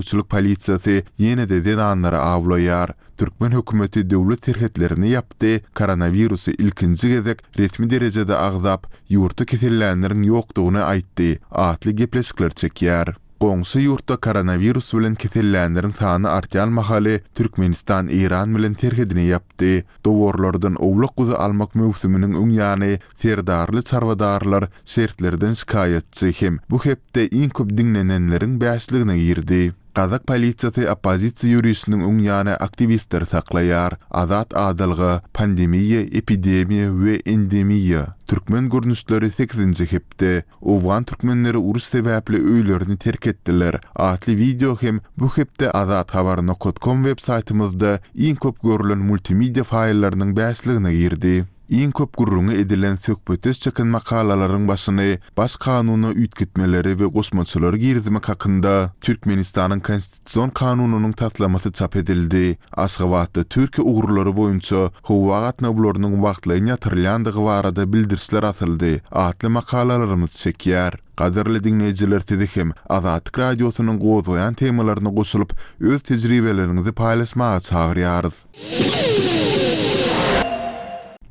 Gözegçilik polisiýasy ýene-de zenanlary awlaýar. Türkmen hökümeti döwlet serhetlerini ýapdy, koronawirusy ilkinji gezek resmi derejede agzap, ýurtda kesellänleriň ýokdugyny aýtdy atly gepleşikler çekýär. Goňşy ýurtda koronawirus bilen kesellänleriň sany artýan mahaly Türkmenistan Eýran bilen serhedini ýapdy. Dowarlardan owlak-guzy almak möwsüminiň öň ýany Serdarly çarwadarlar şertlerden şikaýatçy hem bu hepde iň köp diňlenenleriň bäşligine girdi. Gazak polisiýasy oppozisiýa ýörişiniň öň ýany aktiwistleri saklaýar. Azat adalga, pandemiýa, epidemiýa we endemiýa. Türkmen görnüşleri sekizinji hepde. Owgan türkmenleri uruş sebäpli öýlerini terk etdiler atly wideo hem bu hepde azathabar nokat kom web saýtymyzda iň köp görlen multimedia faýllarynyň bäşligine girdi. Iň köp gürrüňi edilen söhbetdeş çeken makalalaryň başyny Baş kanuna üýtgetmeleri we goşmaçalary girizmek hakynda Türkmenistanyň Konstitusion kanunynyň taslamasy çap edildi. Aşgabatda Türkiýe ugurlary boýunça howa gatnawlarynyň wagtlaýyn ýatyrylýandygy barada bildirişler asyldy atly makalalarymyz çekýär. Gadyrly diňleýjiler sizi hem Azatlyk Radiosynyň gozgaýan temalaryna goşulyp, öz tejribeleriňizi paýlaşmaga çagyrýarys.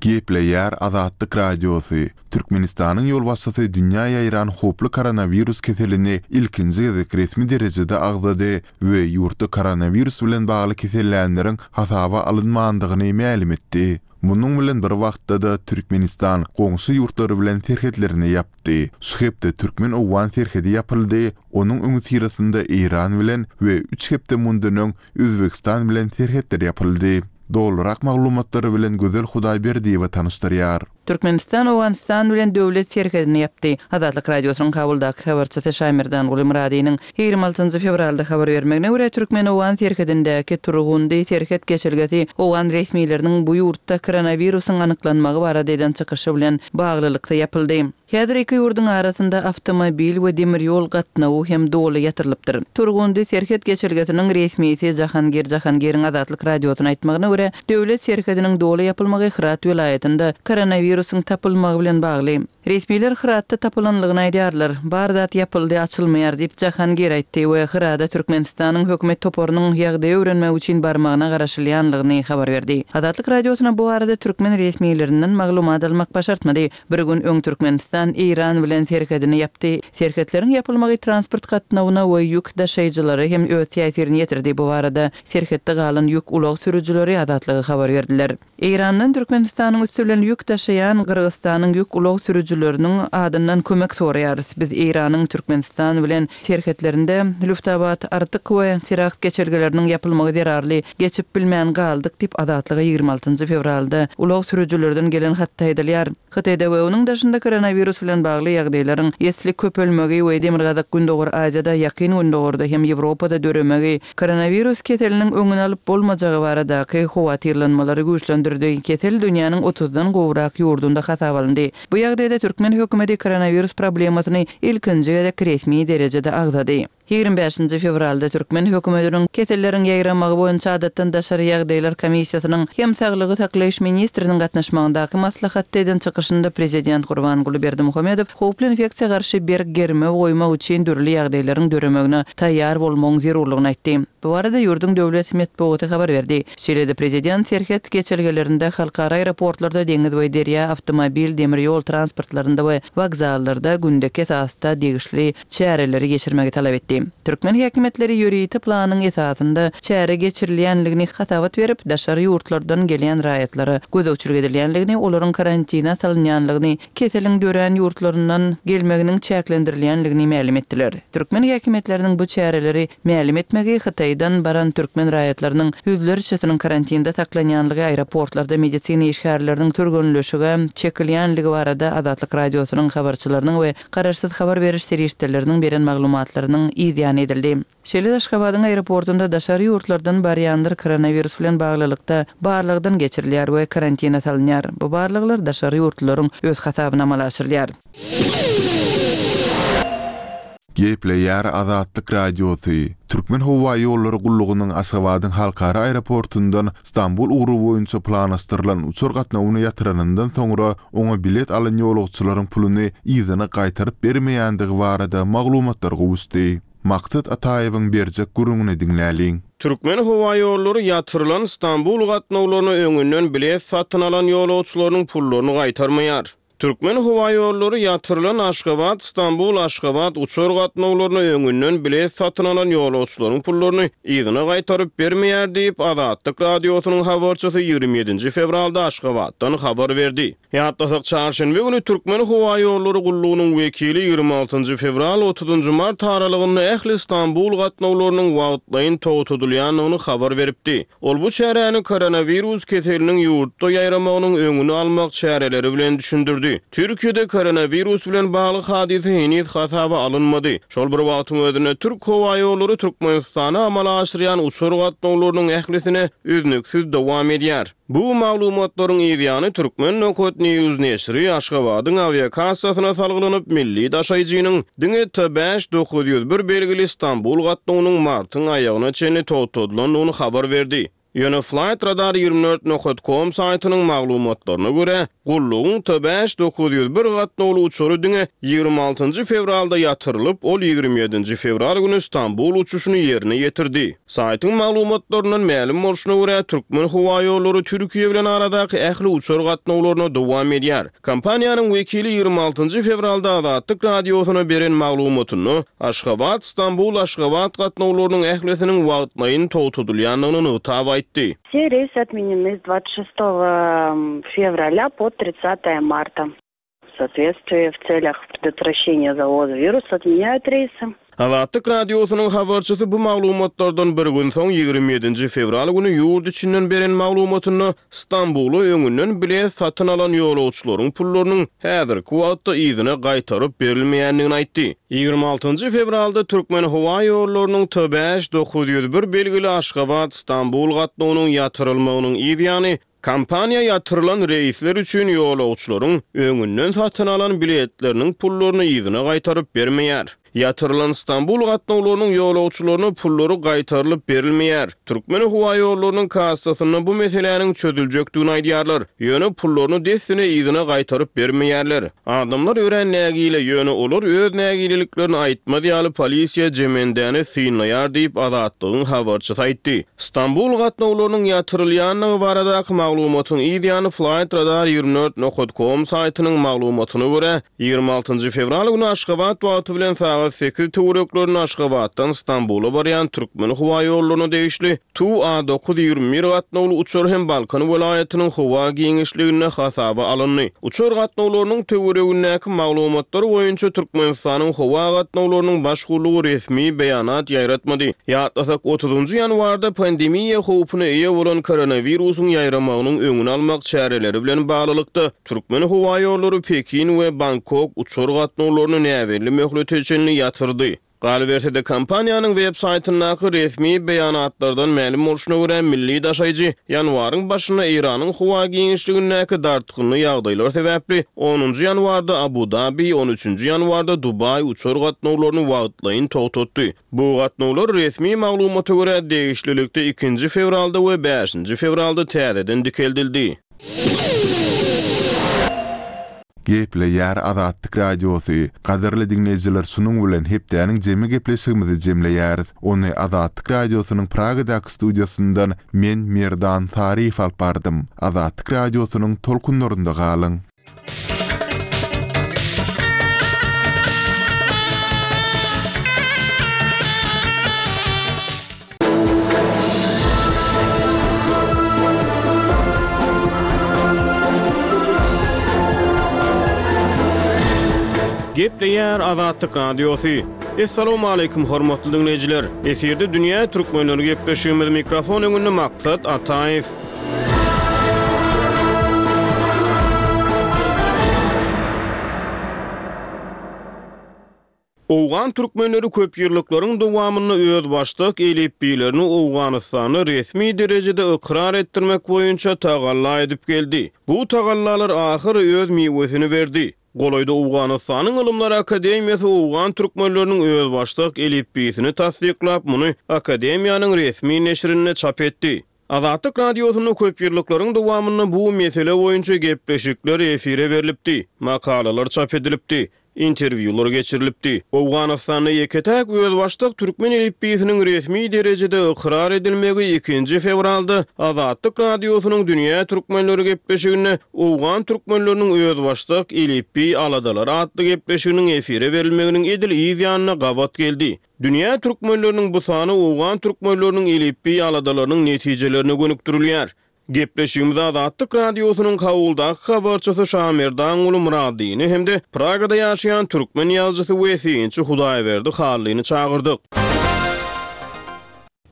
Gepleýär Azatlyk Radiosy, Türkmenistanyň ýolbaşçysy dünýä ýaýran howply koronawirus keselini ilkinji gezek resmi derejede agzady we ýurtda koronawirus bilen bagly kesellänleriň hasaba alynmandygyny mälim etdi. Munuň bilen bir wagtda-da Türkmenistan goňşy ýurtlary bilen serhetlerini ýapdy. Şu hepde türkmen-owgan serhedi ýapyldy, onuň öňüsyrasynda Eýran bilen we üç hepde mundan öň Özbegistan bilen serhetler ýapyldy. Dolurak maglumatlary bilen Gözel Hudaýberdiýewa tanyşdyrýar. Türkmenistan Owganystan bilen döwlet serhedini ýapdy. Azatlyk Radiosynyň Kabuldaky habarçysy Şaýmerdanguly Myradynyň 26 fewralda habar bermegine görä, türkmen-owgan serhedindäki Turgundy serhet geçelgesi owgan resmileriniň bu ýurtda koronawirusyň anyklanmagy barada eden çykyşy bilen baglylykda ýapyldy. Häzir iki ýurduň arasynda awtomobil we demir ýol gatnawy hem doly ýatyrylypdyr. Turgundy serhet geçelgesiniň resmisi Jahangir Jahangiriň Azatlyk Radiosyna aýtmagyna görä, döwlet serhediniň doly ýapylmagy Hyrat welaýatynda koronawirusyň tapylmagy bilen bagly. Resmiler Hyratda tapylanlygyny aýdýarlar. Bar zat ýapyldy, açylmaýar diýip, Jahangir aýtdy we Hyrada Türkmenistanyň hökümet toparynyň ýagdaýy öwrenmek üçin barmagyna garaşylýanlygyny habar berdi. Azatlyk Radiosyna bu barada türkmen resmilerinden maglumat almak başartmady. Bir gün öň Türkmenistan Eýran bilen serhedini ýapdy. Serhetleriň ýapylmagy transport gatnawyna we ýük daşaýjylara hem öz täsirini ýetirdi. Bu barada serhetde galan ýük ulag sürüjileri Azatlyga habar berdiler. Eýrandan Türkmenistanyň üsti bilen ýük daşaýan Gyrgyzystanyň ýük ulag sürüjileriniň adyndan kömek soraýarys. Biz Eýranyň Türkmenistan bilen serhetlerinde Lüftabad, Artyk we Siraks geçelgeleriniň ýapylmagy zerarly geçip bilmän galdyk diýip, Azatlyga 26 fewralda ulag sürüjilerden gelen hatda aýdylýar. Hytaýda we onuň daşynda koronawirus bilen bagly ýagdaýlaryň esli köpelmegi we Demirgazyk-Gündogar Aziýada, Ýakyn Gündogarda hem Ýewropada döremegi koronawirus keseliniň öňüni alyp bolmajagy baradaky howatyrlanmalary güýçlendirdi. Kesel dünýäniň otuzdan gowrak ýurdunda hasaba alyndy. Bu ýagdaýda türkmen hökümeti koronawirus problemasyny ilkinji gezek resmi derejede agzady. 25-nji fewralda türkmen hökümetiniň Keselleriň ýaýramagy boýunça adatdan daşary ýagdaýlar komissiýasynyň hem saglygy saklaýyş ministriniň gatnaşmagyndaky maslahatda eden çykyşynda prezident Gurbanguly Berdimuhamedow howply infeksiýa garşy berk germew goýmak üçin dürli ýagdaýlaryň döremegine taýýar bolmagyň zerurlygyny aýtdy. Bu barada ýurduň döwlet metbugaty habar berdi. Şeýle-de prezident serhet geçelgelerinde, halkara aeroportlarda, deňiz we derýa, awtomobil, demir ýol transportlarynda we wokzallarda gündeki esasda degişli çäreleri geçirmegi talap etdi. Türkmen häkimiýetleri ýörite planyň esasynda çäre geçirilýänligini hasabat berip, daşary ýurtlardan gelýän raýatlara gözegçilik edilýänligini, olaryň karantine salynýanlygyny, keseliň dörän ýurtlaryndan gelmeginiň çäklendirilýänligini mälim etdiler. Türkmen häkimiýetleriniň bu çäreleri mälim etmegi Hytaýdan baran türkmen raýatlarynyň ýüzlerçesiniň karantinde saklanýanlygy, aeroportlarda medisina işgärleriniň türgenleşige çekilýänligi barada Azatlyk Radiosynyň habarçylarynyň we garaşsyz habar beriş serişdeleriniň beren maglumatlarynyň yz ýany edildi. Şeýle-de Aşgabadyň aeroportunda daşary ýurtlardan barýanlar koronawirus bilen baglylykda barlagdan geçirilýär we karantine salynýar. Bu barlaglar daşary ýurtlularyň öz hasabyna amala aşyrylýar. Gepleýär Azatlyk Radiosy, Türkmenhowaýollary gullugynyň Aşgabadyň halkara aeroportundan Stambul ugry boýunça planlaşdyrylan uçar gatnawyny ýatyranyndan soňra oňa bilet alan ýolagçylaryň puluny yzyna gaýtaryp bermeýändigi barada maglumatlar gowuşdy. Maksat Ataýewiň berjek gürrüňini diňläliň. Türkmenhowaýollary ýatyrylan Stambul gatnawlaryna öňünden bilet satyn alan ýolagçylarynyň pullaryny gaýtarmaýar. Türkmenhowaýollary ýatyrylan Aşgabat, Stambul, Aşgabat uçar gatnawlaryna öňünden bilet satyn alan ýolagçylaryň pullaryny yzyna gaýtaryp bermeýär diýip, Azatlyk Radiosynyň habarçysy 27-nji fewralda Aşgabatdan habar berdi. Ýatlasak, çarşenbe güni Türkmenhowaýollary gullugynyň wekili 26-njy fewral, otuzynjy mart aralygynda ähli Stambul gatnawlarynyň wagtlaýyn togtadylýandygyny habar beripdi. Ol bu çäräni koronawirus keseliniň ýurtda ýaýramagynyň öňüni almak çäreleri bilen düşündirdi. Türkiýede koronawirus bilen bagly hadysa heniz hasaba alynmady. Şol bir wagtyň özünde Türk howaýollary Türkmenistana amala aşyrýan uçar gatnawlarynyň ählisine üznüksiz dowam edýär. Bu maglumatlaryň yzýany Turkmen Nokat News neşiri Aşgabadyň awiakassasyna salgylanyp, milli daşaýjynyň diňe T 5901 belgili Stambul gatnawynyň martyň aýagyna çenli togtadylandygyny habar berdi. Ýöne Flightradar 24 nokat com saýtynyň maglumatlaryna görä, gullugyň T 5901 gatnawly uçary diňe 26 fewralda ýatyrylyp, ol 27 fewral güni Stambul uçuşyny ýerine ýetirdi. Saýtyň maglumatlaryndan mälim bolşuna görä, Türkmenhowaýollary Türkiýe bilen aradaky ähli uçar gatnawlaryna dowam edýär. Kompaniýanyň wekili 26 fewralda Azatlyk Radiosyna beren maglumatynda, Aşgabat, Stambul, Aşgabat gatnawlarynyň ählisiniň wagtlaýyn togtadylýandygyny nygtap aýtdy. Все рейсы отменены с 26 февраля по 30 марта. В соответствии в целях предотвращения завоза вируса отменяют рейсы. Azatlyk Radiosynyň habarçysy bu maglumatlardan bir gün soň, 27-nji fewral güni ýurt içinden beren maglumatynda Stambula öňünden bilet satyn alan ýolagçylaryň pullarynyň häzirki wagtda yzyna gaýtaryp berilmeýändigini aýtdy. 26-njy fewralda Türkmenhowaýollarynyň T 5901 belgili Aşgabat, Stambul gatnawynyň ýatyrylmagynyň yz ýany, Kompaniýa ýatyrylan reýsler üçin ýolagçylaryň öňünden satyn alan biletleriniň pullaryny yzyna gaýtaryp bermeýär. Ýatyrylan Stambul gatnawlarynyň ýolagçylaryna pullary gaýtarylyp berilmeýär. Türkmenhowaýollarynyň kassasynda bu meseläniň çözüljekdigini aýdýarlar. Ýöne pullaryny dessine yzyna gaýtaryp bermeýärler. Adamlar örän nägile, ýöne olar öz nägileliklerini aýtmaz ýaly polisiýa jemendäni synlaýar diýip, Azatlygyň habarçysy aýtdy. Stambul gatnawlarynyň ýatyrylýandygy baradaky maglumatyň yz ýany Flightradar 24 nokat com saýtynyň maglumatyna görä, 26-njy fewral güni Aşgabat wagty bilen sagat sekiz töwereklerinde Aşgabatdan Stambula barýan Türkmenhowaýollaryna degişli Tu A 921 gatnawly uçar hem Balkan welaýatynyň howa giňişliginde hasaba alyndy. Uçar gatnawlarynyň töweregindäki maglumatlar boýunça Türkmenistanyň howa gatnawlarynyň baş gullugy resmi beýanat ýaýratmady. Ýatlasak, otuzynjy ýanwarda pandemiýa howpuna eýe bolan koronawirusyň ýaýramagynyň öňüni almak çäreleri bilen baglylykda, Türkmenhowaýollary Pekin we Bangkok uçar gatnawlaryny näbelli möhlete çenli ýatyrdy. Galyberse-de, kompaniýanyň web saýtyndaky resmi beýanatlardan mälim bolşuna görä, milli daşaýjy ýanwaryň başynda Eýranyň howa giňişligindäki dartgynly ýagdaýlar sebäpli onunjy ýanwarda Abu-Dabi, on üçünji ýanwarda Dubaý uçar gatnawlaryny wagtlaýyn togtatdy. Bu gatnawlar, resmi maglumata görä, degişlilikde ikinji fewralda we bäşinji fewralda täzeden dikeldildi. Gepleýär Azatlyk Radiosy, Gadyrly diňleýjiler şunuň bilen hepdäniň jemi gepleşigimizi jemleýäris. Ony Azatlyk Radiosynyň Pragadaky studiýasyndan men Merdan Saryýew alyp bardym. Azatlyk Radiosynyň tolkunlarynda galyň! Gepleýär Azatlyk Radiosy. Assalamualaikum hormatly diňleýjiler. Efirde dünýä türkmenleri gepleşigimiz mikrofon öňünde Maksat Ataýew. Owgan türkmenleri köpýyllyklaryň dowamynda özbaşdak elipbiýlerini Owganystanda resmi derejede ykrar etdirmek boýunça tagalla edip geldi. Bu tagallalar ahyry öz miwesini berdi. Golaýda Owganystanyň Ylymlar akademiýasy owgan türkmenleriniň özbaşdak elipbiýsini tassyklap, muny akademiýanyň resmi neşirinde çap etdi. Azatlyk Radiosynda köpýyllyklaryň dowamynda bu mesele boýunça gepleşikler efire berlipdi, makalalar çap edilipdi. Interwýular geçirilipdi. Owganystanda ýeke-täk özbaşdak türkmen elipbiýsiniň resmi derejede ykrar edilmegi ikinji fewralda Azatlyk Radiosynyň Dünýä türkmenleri gepleşiginde Owgan türkmenleriniň özbaşdak elipbiý aladalary atly gepleşiginiň efire berilmeginiň edil yz ýanyna gabat geldi. Dünýä türkmenleriniň bu sany owgan türkmenleriniň elipbiý aladalarynyň netijelerine gönükdirilýär. Gepleşigimize Azatlyk Radiosynyň Kabuldaky habarçysy Şamerdanguly Myradyny hem-de Pragada ýaşaýan türkmen ýazyjysy we synçy Hudaýberdi Hallyny çagyrdyk.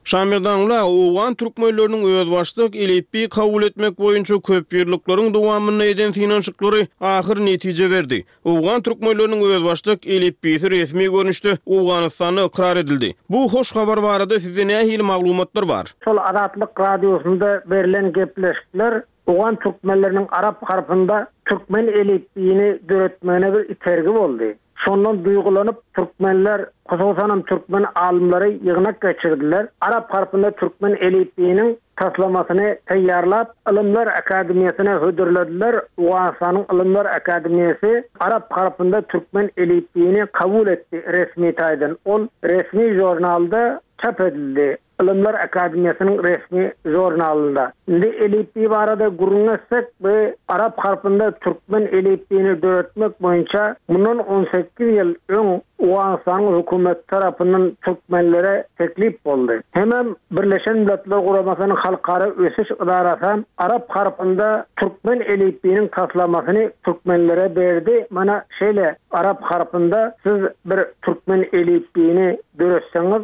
Şamerdanguly aga, owgan türkmenleriniň özbaşdak elipbiý kabul etmek boýunça köpýyllyklaryň dowamynda eden synanyşyklary ahyr netije berdi. Owgan türkmenleriniň özbaşdak elipbiýsi resmi görnüşde Owganystanda ykrar edildi. Bu hoş habar barada sizde nähili maglumatlar bar? Şol Azatlyk Radiosynda berlen gepleşikler owgan türkmenleriniň arap harpynda türkmen elipbiýini döretmegine bir itergi boldy. Şondan duýgulanyp türkmenler, hususanam türkmen alymlary ýygnak geçirdiler. Arap harpynda türkmen elipbiýiniň taslamasyny taýýarlap, Ylymlar akademiýasyna hödürlediler. Owganystanyň Ylymlar akademiýasy arap harpynda türkmen elipbiýini kabul etdi resmi taýdan. Ol resmi žurnalda çap edildi. Ylymlar akademiýasynyň resmi žurnalynda. Indi elipbiý barada gürrüň etsek, bu arap harpynda türkmen elipbiýini döretmek boýunça mundan 18 ýyl öň Owganystanyň hökümeti tarapyndan türkmenlere teklip boldy. Hemem Birleşen Milletler Guramasynyň Halkara ösüş ydarasam arap harpynda türkmen elipbiýiniň taslamasyny türkmenlere berdi, mana şeýle arap harpynda siz bir türkmen elipbiýini döretseňiz,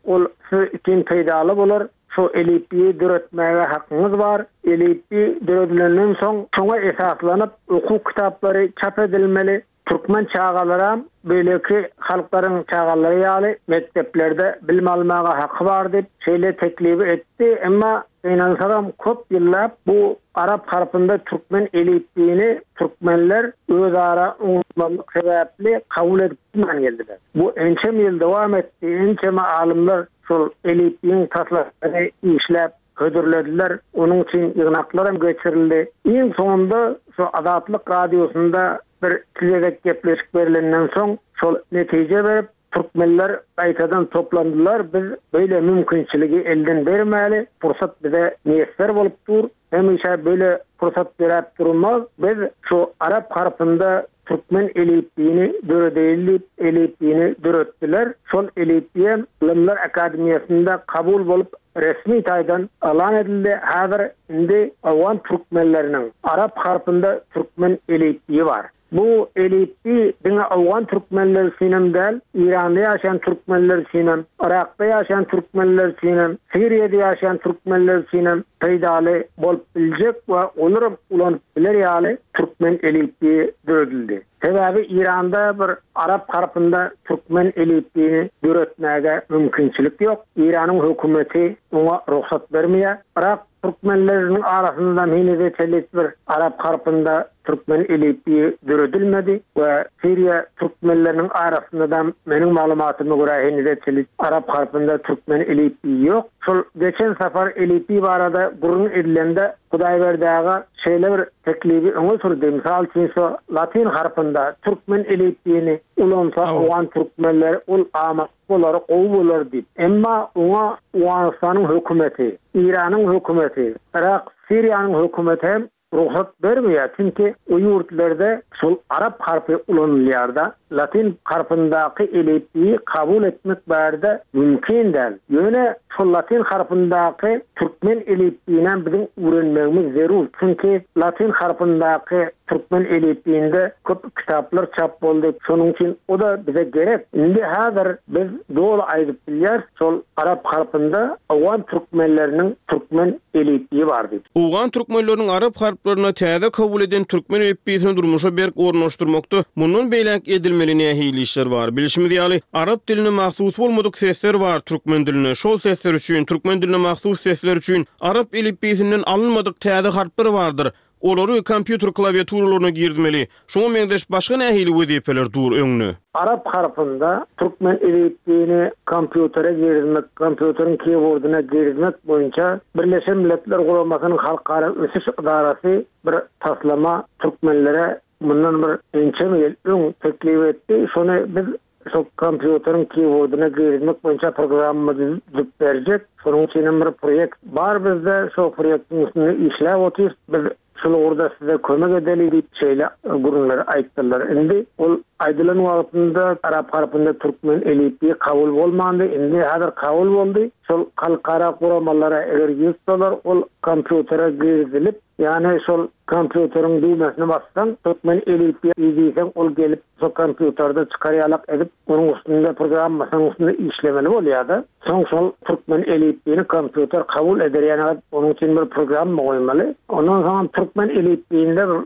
ol siz üçin peýdaly bolar, şo elipbiýi döretmäge hakyňyz bar, elipbiý döredilenden soň şoňa esaslanyp okuw kitaplary çap edilmeli, Türkmen çagalaram beýleki halklaryň çagalary ýaly mekdeplerde bilim almaga haky bar diýip, şeýle teklibi etdi. Emma gynansagam köp ýyllap bu arap harpynda türkmen elipbiýini türkmenler özara oňuşmazlyk sebäpli kabul edip bilmän geldiler. Bu ençeme ýyl dowam etdi, ençeme alymlar şol elipbiýiň taslamasyny işläp hödürlediler, onuň üçin ýygnaklaram geçirildi. Iň soňunda şu Azatlyk Radiosynda bir iki gezek gepleşik berlenden soň, şol netije berip, türkmenler gaýtadan toplandylar, biz beýle mümkinçiligi elden bermäli, pursat bize miýesser bolup dur, hemişe beýle pursat döräp durmaz, biz şu arap harpynda Türkmen elipbiýini döredeýli diýip, elipbiýini döretdiler. Şol elipbiýem Ylymlar akademiýasynda kabul bolup, resmi taýdan yglan edildi. Häzir indi owgan türkmenleriniň arap harpynda türkmen elipbiýi bar. Bu elipbiý diňe owgan türkmenleri üçinem däl, Eýranda ýaşaýan türkmenler üçinem, Yrakda ýaşaýan türkmenler üçinem, Siriýada ýaşaýan türkmenler üçinem peýdaly bolup biljek we olaram ulanyp biler ýaly türkmen elipbiýi döredildi. Sebäbi Eýranda bir arap harpynda türkmen elipbiýini döretmäge mümkinçilik ýok. Eýranyň hökümeti oňa rugsat bermeýär. Yrak türkmenleriniň arasynda henize çenli bir arap harpynda türkmen elipbiýi döredilmedi we Siriýa türkmenleriniň arasynda-da meniň maglumatyma görä henize çenli arap harpynda türkmen elipbiýi ýok. Şol geçen sapar elipbiý barada gürrüň edilende Hudaýberdi aga şeýle bir teklibi öňe sürdi, mysal üçin şu latyn harpynda türkmen elipbiýini ulansa owgan türkmenleri ol amatly bolar, gowy bolar diýip. Emma oňa Owganystanyň hökümeti, Eýranyň hökümeti, Yrak, Siriýanyň hökümeti hem rugsat bermeýär, çünki o ýurtlarda şol arap harpy ulanylýar-da, latyn harpyndaky elipbiýi kabul etmek bärde mümkin däl. Ýöne şol latyn harpyndaky türkmen elipbiýinem biziň öwrenmegimiz zerur, çünki latyn harpyndaky türkmen elipbiýinde köp kitaplar çap boldy, şonuň üçin o-da bize gerek. Indi häzir biz doly aýdyp bilýäris, şol arap harpynda owgan türkmenleriniň türkmen elipbiýi bar diýip. Owgan türkmenleriniň arap harplaryna täze kabul eden türkmen elipbiýsini durmuşa berk ornaşdyrmakda mundan beýläk edilmeli nähili işler bar? Bilşimiz ýaly, arap diline mahsus bolmadyk sesler bar türkmen dilinde. Şol sesler üçin, türkmen diline mahsus sesler üçin arap elipbiýsinden alynmadyk täze harplar bardyr. Olary kompýuter klawiaturalaryna girizmeli. Şuňa meňzeş başga nähili wezipeler dur öňde? Arap harpynda türkmen elipbiýini kompýutere girizmek, kompýuteriň keyboardyna girizmek boýunça Birleşen Milletler Guramasynyň Halkara ösüş ydarasy bir taslama türkmenlere. mundan bir ençeme ýyl öň teklip etdi. Şony biz şol kompýuteriň keyboardyna girizmek boýunça programma düzüp berjek. Şonuň üçin hem bir proýekt bar bizde. Şo proýektiň üstünde işläp otyrys. Biz şol ugurda size kömek edeli diýip şeýle gürrüňleri aýtdylar. Indi ol aýdylan wagtynda arap harpynda türkmen elipbiýi kabul bolmandy. Indi häzir kabul boldy. Şol halkara guramalara eger ýüz tutsalar ol kompýutere girizilip, ýagny şol kompýuteriň düwmesini bassaň türkmen elipbiýi diýseň ol gelip şo kompýuterde çykar ýalak edip onuň üstünde programmasynyň üstünde işlemeli bolýada. Soň şol türkmen elipbiýini kompýuter kabul eder ýaly edip onuň üçin bir programma goýmaly. Ondan soňam türkmen elipbiýinde bir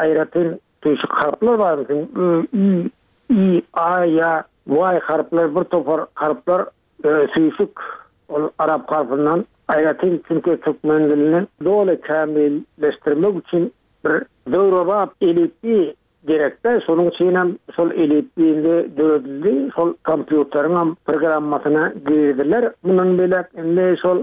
aýratyn tüýşük harplar bar meselem ö, ü, i, a, ýa, y harplar bir topar harplar süýşük ol arap harpyndan aýratyn çünki türkmen dilini doly kämilleşdirmek üçin bir döwrebap elipbiý Gerekdä, şonuň üçinem şol elipbiý indi döredildi, şol kompýuteriňem programmasyna girdiler. Mundan beýläk indi şol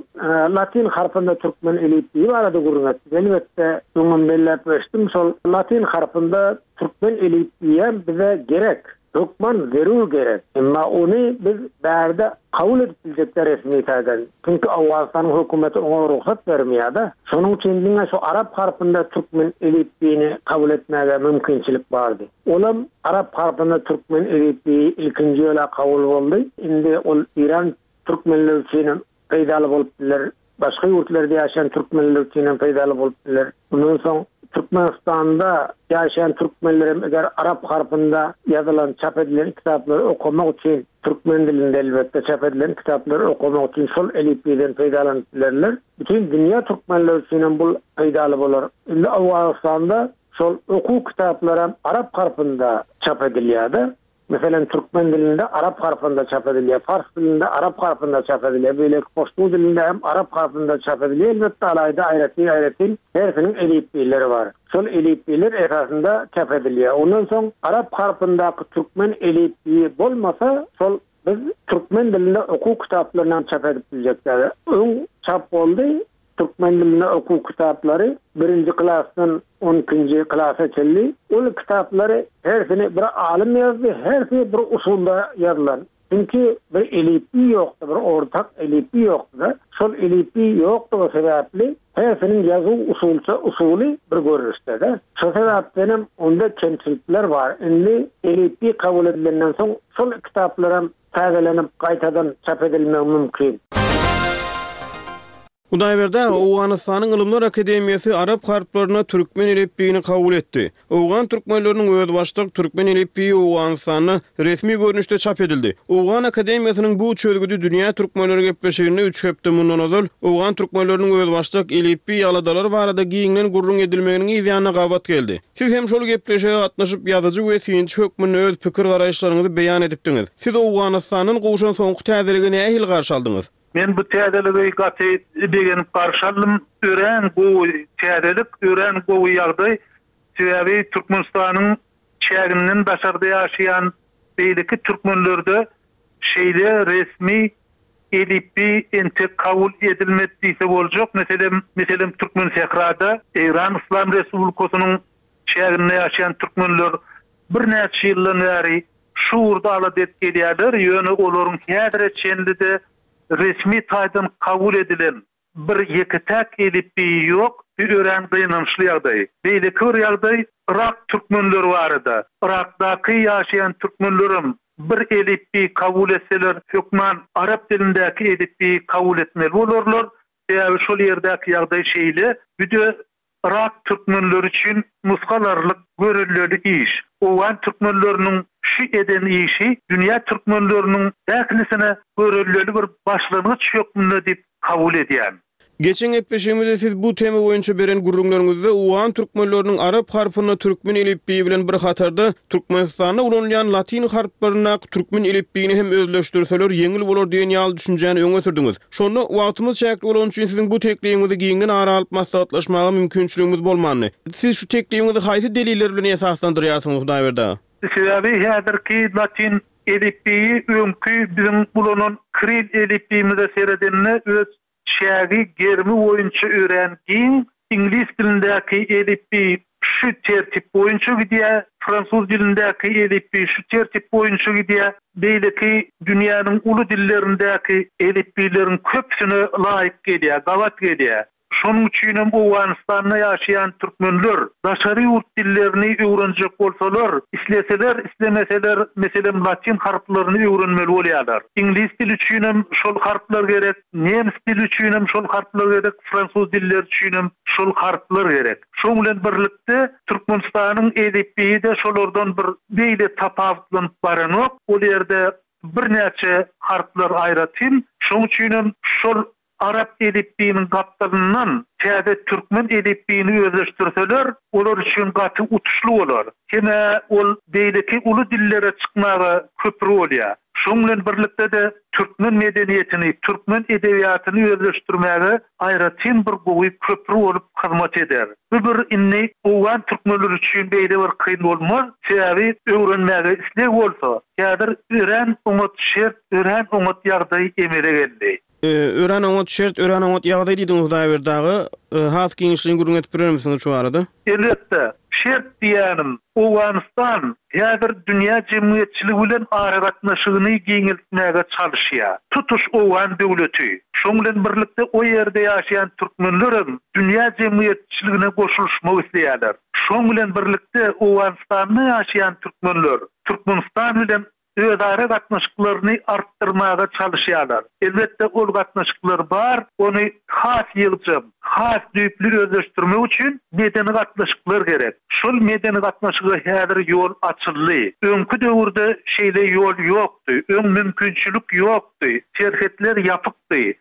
latyn harpynda türkmen elipbiýi barada gürrüň etdik. Elbetde, öňem belläp geçdim, şol latyn harpynda türkmen elipbiýem bize gerek. Hökman zerur gerek. Emma ony biz bärde kabul edip biljek däl resmi taýdan. Çünki Owganystanyň hökümeti oňa rugsat bermeýär-de. Şonuň üçin diňe şu arap harpynda türkmen elipbiýini kabul etmäge mümkinçilik bardy. Olam arap harpynda türkmen elipbiýi ilkinji ýola kabul boldy. Indi ol Eýran türkmenleri üçinem peýdaly bolup biler. Başga ýurtlarda ýaşaýan türkmenler üçin hem peýdaly bolup biler. Mundan soň Türkmenistanda ýaşaýan türkmenler hem eger arap harpynda ýazylan, çap edilen kitaplary okamak üçin, türkmen dilinde elbetde çap edilen kitaplary okamak üçin şol elipbiýden peýdalanyp bilerler. Bütin dünýä türkmenleri üçin hem bul peýdaly bolar. Indi Owganystanda şol okuw kitaplaram arap harpynda çap edilýär-de. Meselem, türkmen dilinde arap harpynda çap edilýär, pars dilinde arap harpynda çap edilýär, beýleki poştu dilinde hem arap harpynda çap edilýär. Elbetde, alaýda aýratyn-aýratyn hersiniň elipbiýleri bar. Şol elipbiýler esasynda çap edilýär. Ondan soň arap harpyndaky türkmen elipbiýi bolmasa, şol biz türkmen dilinde okuw kitaplaryny hem çap edip biljek däl. Öň çap boldy, Türkmen dilinde okuw kitaplary birinji klasdan on ikinji klasa çenli. Ol kitaplary hersini bir alym ýazdy, hersi bir usulda ýazylan. Çünki bir elipbiý ýokdy, bir ortak elipbiý ýokdy-da. Şol elipbiý ýokdugy sebäpli hersiniň ýazuw usulça usuly bir görnüşde-de. Şo sebäpdenem onda kemçilikler bar. Indi elipbiý kabul edilenden soň şol kitaplaram täzelenip gaýtadan çap edilmegi mümkin. Hudaýberdi aga, Owganystanyň Ylymlar akademiýasy arap harplaryna türkmen elipbiýini kabul etdi. Owgan türkmenleriniň özbaşdak türkmen elipbiýi Owganystanda resmi görnüşde çap edildi. Owgan akademiýasynyň bu çözgüdi Dünýä türkmenleri gepleşiginde üç hepde mundan ozal owgan türkmenleriniň özbaşdak elipbiý aladalary barada giňden gürrüň edilmeginiň yzýanyna gabat geldi. Siz hem şol gepleşige gatnaşyp, ýazyjy we synçy hökmünde öz pikir-garaýyşlaryňyzy beýan edipdiňiz. Siz Owganystandan gowşan soňky täzeligi nähili garşy aldyňyz? Men bu täzeligi gaty begenip garşy aldym. Örän gowy täzelik, örän gowy ýagdaý. Sebäbi Türkmenistanyň çäginden daşarda ýaşaýan beýleki türkmenlerde şeýle resmi elipbiý entek kabul edilmedi diýse boljak. Meselem, meselem Türkmensährada Eýran Yslam Respublikasynyň çäginde ýaşaýan türkmenler birnäçe ýyldan bäri Şu ugurda alada edip gelýärler, ýöne olaryň häzire çenli-de resmi taýdan kabul edilen bir ýeke-täk elipbiýi ýok, bu örän gynançly ýagdaý. Beýleki bir ýagdaý Yrak türkmenleri barada. Yrakdaky ýaşaýan türkmenlerem bir elipbiý kabul etseler, hökman arap dilindäki elipbiýi kabul etmeli bolarlar. Sebäbi şol ýerdäki ýagdaý şeýle. Bu-de Yrak türkmenleri üçin nusga alarlyk görelleli iş. Owgan türkmenleriniň şu eden işi dünýä türkmenleriniň ählisine görelleli bir başlangyç hökmünde diýip kabul edýän. Geçen gepleşigimizde siz bu tema boýunça beren gürrüňleriňizde owgan türkmenleriniň arap harpynda türkmen elipbiýi bilen bir hatarda Türkmenistanda ulanylýan latyn harplaryndaky türkmen elipbiýini hem özleşdirseler ýeňil bolar diýen ýaly düşünjäni öňe sürdüňiz. Şonda, wagtymyz çäkli bolany üçin siziň bu teklibiňizi giňden ara alyp maslahatlaşmaga mümkinçiligimiz bolmandy. Siz şu teklibiňizi haýsy deliller bilen esaslandyrýarsyňyz, Hudaýberdi aga? Sebäbi häzirki latyn elipbiýi öňki biziň ulanan kril elipbiýimize seredende öz çägi, gerimi boýunça örän giň. Iňlis dilindäki elipbiý. şu tertip boýunça gidýär, fransuz dilindäki elipbiý şu tertip boýunça gidýär, beýleki dünýäniň uly dillerindäki elipbiýleriň köpüsine laýyk gelýär, gabat gelýär. Şonuň üçinem Owganystanda ýaşaýan türkmenler daşary ýurt dillerini öwrenjek bolsalar, isleseler, islemeseler, meselem, latyn harplaryny öwrenmeli bolýarlar. Iňlis dili üçinem şol harplar gerek, nemes dili üçinem şol harplar gerek, fransuz dilleri üçinem şol harplar gerek. Şoň bilen birlikde Türkmenistanyň elipbiýi-de şolardan bir beýle tapawutlanyp baranok. Ol ýerde birnäçe harplar aýratyn. Şoň üçinem şol Arap elipbiýiniň gapdalyndan täze türkmen elipbiýini özleşdirseler, olar üçin gaty utuşly bolar. Hem-ä ol beýleki uly dillere çykmaga köpri bolýar. Şoň bilen birlikde-de türkmen medeniýetini, türkmen edebiýatyny özleşdirmäge aýratyn bir gowy köpri bolup hyzmat eder. Bu bir indi owgan türkmenleri üçin beýle bir kyn bolmaz, sebäbi öwrenmäge isleg bolsa, häzir örän oňat şert, örän oňat ýagdaý emele geldi. Örän oňat şert, örän oňat ýagdaý diýdiňiz Hudaýberdi aga. Has giňişleýin gürrüň edip berermisiňiz şu barada? Elbetde, şert diýýänim, Owganystan häzir dünýä jemgyýetçiligi bilen aragatnaşygyny giňeltmäge çalyşýar. Tutuş owgan döwleti, şoň bilen birlikde o ýerde ýaşaýan türkmenlerem dünýä jemgyýetçiligine goşulyşmak isleýärler. Şoň bilen birlikde Owganystanda ýaşaýan türkmenler Türkmenistan bilen özara gatnaşyklaryny artdyrmaga çalyşýarlar. Elbetde, ol gatnaşyklar bar, ony has ýygjam, has düýpli özleşdirmek üçin medeni gatnaşyklar gerek. Şol medeni gatnaşyga häzir ýol açyldy. Öňki döwürde şeýle ýol ýokdy, öň mümkinçilik ýokdy, serhetler ýapykdy.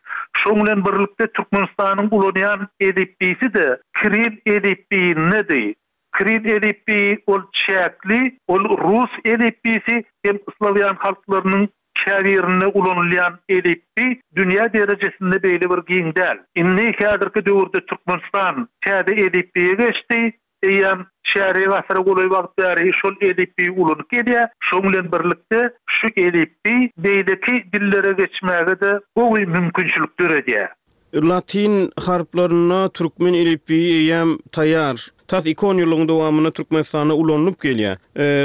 Şoň bilen birlikde Türkmenistanyň ulanýan elipbiýsi-de kiril elipbiýindedi. Kiril elipbiýi ol çäkli, ol rus elipbiýsi hem slawýan halklarynyň käbirinde ulanylýan elipbiý dünýä derejesinde beýle bir giň däl. Indi häzirki döwürde Türkmenistan täze elipbiýe geçdi, eýýäm çärýek asyra golaý wagt bäri şol elipbiýi ulanyp gelýär. Şoň bilen birlikde şu elipbiý beýleki dillere geçmäge-de gowy mümkinçilik döredýär. Latyn harplarynda türkmen elipbiýi eýýäm taýýar. Tas iki onýyllygyň dowamynda Türkmenistanda ulanylyp gelýär.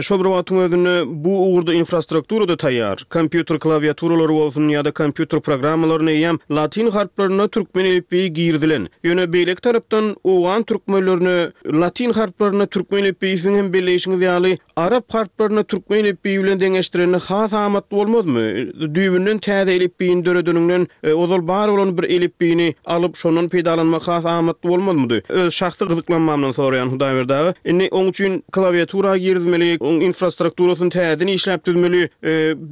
Şol bir wagtyň özünde bu ugurda infrastruktura-da taýýar. Kompýuter klawiaturalary bolsun ýa-da kompýuter programmalaryna eýýäm latyn harplarynda türkmen elipbiýi girizilen. Ýöne beýleki tarapdan owgan türkmenlerine latyn harplarynda türkmen elipbiýi siziň hem belleýşiňiz ýaly Arap harplaryny türkmen elipbiýi bilen deňeşdirende has amatly bolmazmy? Düýbünden täze elipbiýini döredeniňden, ozal bar bolan bir elipbiýini alyp, şondan peýdalanmak has amatly bolmazmydy? Öz şahsy gyzyklanmamdan soraýan Hudaýberdi aga. Indi oň üçin klawiatura girizmeli, oň infrastrukturasyny täzeden işläp düzmeli.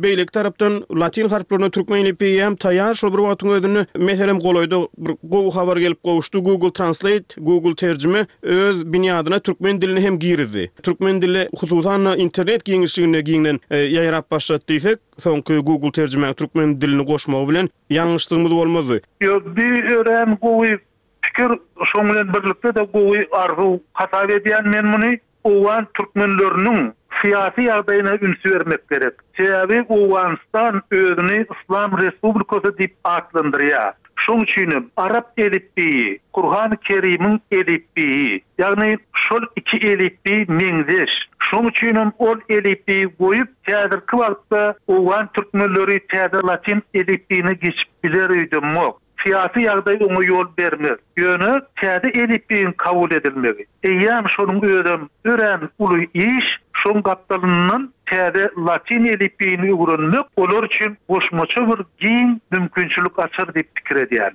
Beýleki tarapdan latyn harplaryna türkmen elipbiýi hem taýýar, şol bir wagtyň özünde, meselem, golaýda bir gowy habar gelip gowuşdy, Google Translate, Google terjime öz binýadyna türkmen dilini hem girizdi. Türkmen dili, hususan-da, internet giňişliginde giňden ýaýrap başlady diýsek, soňky Google terjimäň türkmen dilini goşmagy bilen ýalňyşlygymyz bolmazdy. Ýok, bi örän gowy pikir, şoň bilen birlikde-de gowy arzuw hasap edýän men muny. Owgan türkmenleriniň syýasy ýagdaýyna üns bermek gerek. Sebäbi Owganystan özüni Yslam Respublikasy diýip atlandyrýar. Şoň üçinem arap elipbiýi, Kurhany Kerimiň elipbiýi, ýagny şol iki elipbiý meňzeş. Şoň üçinem ol elipbiýi goýup, häzirki wagtda owgan türkmenleri täze latyn elipbiýine geçip biler öýdemok. Syýasy ýagdaý oňa ýol bermez. Ýöne täze elipbiýiň kabul edilmegi, eýýäm şonuň özem örän uly iş, şoň gapdalyndan täze latyn elipbiýini öwrenmek olar üçin goşmaça bir giň mümkinçilik açar diýip pikir edýän.